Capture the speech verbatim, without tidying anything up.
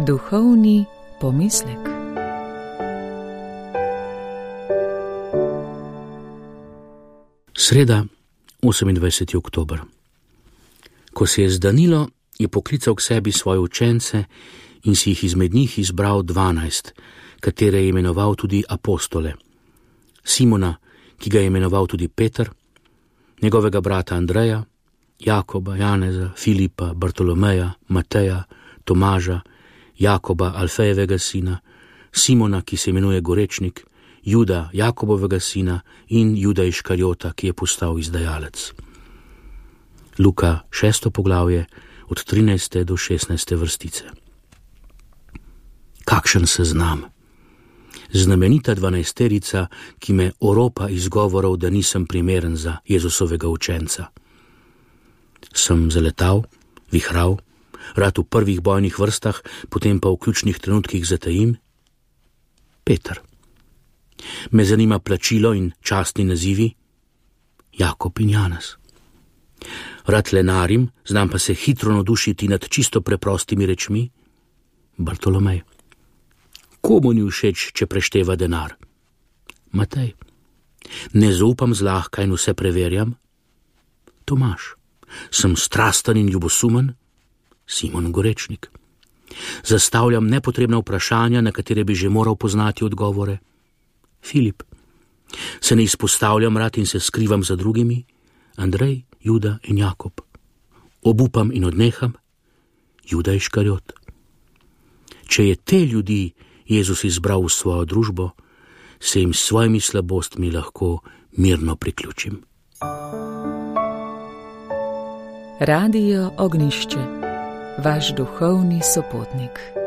Duhovni pomislek. Sreda, osemindvajseti oktober. Ko se je zdanilo, je poklical k sebi svoje učence in si jih izmed njih izbral dvanajst, katere je imenoval tudi apostole. Simona, ki ga je imenoval tudi Peter, njegovega brata Andreja, Jakoba, Janeza, Filipa, Bartolomeja, Mateja, Tomaža, Jakoba, Alfejevega sina, Simona, ki se imenuje Gorečnik, Juda, Jakobovega sina in Juda Iškarjota, ki je postal izdajalec. Luka, šesto poglavje, od trinajste do šestnajste vrstice. Kakšen seznam! Znamenita dvanajsterica, ki me oropa izgovorov, da nisem primeren za Jezusovega učenca. Sem zaletal, vihral, rad v prvih bojnih vrstah, potem pa v ključnih trenutkih zatajim? Peter. Me zanima plačilo in častni nazivi? Jakob in Janez. Rad lenarim, znam pa se hitro navdušiti nad čisto preprostimi rečmi? Bartolomej. Komu ni všeč, če prešteva denar? Matej. Ne zaupam zlahka in vse preverjam? Tomaž. Sem strasten in ljubosumen? Simon Gorečnik. Zastavljam nepotrebna vprašanja, na katere bi že moral poznati odgovore? Filip. Se ne izpostavljam rad in se skrivam za drugimi? Andrej, Juda in Jakob. Obupam in odneham? Juda Iškarjot. Če je te ljudi Jezus izbral v svojo družbo, se jim s svojimi slabostmi lahko mirno priključim. Radio Ognjišče, vaš duhovni sopotnik.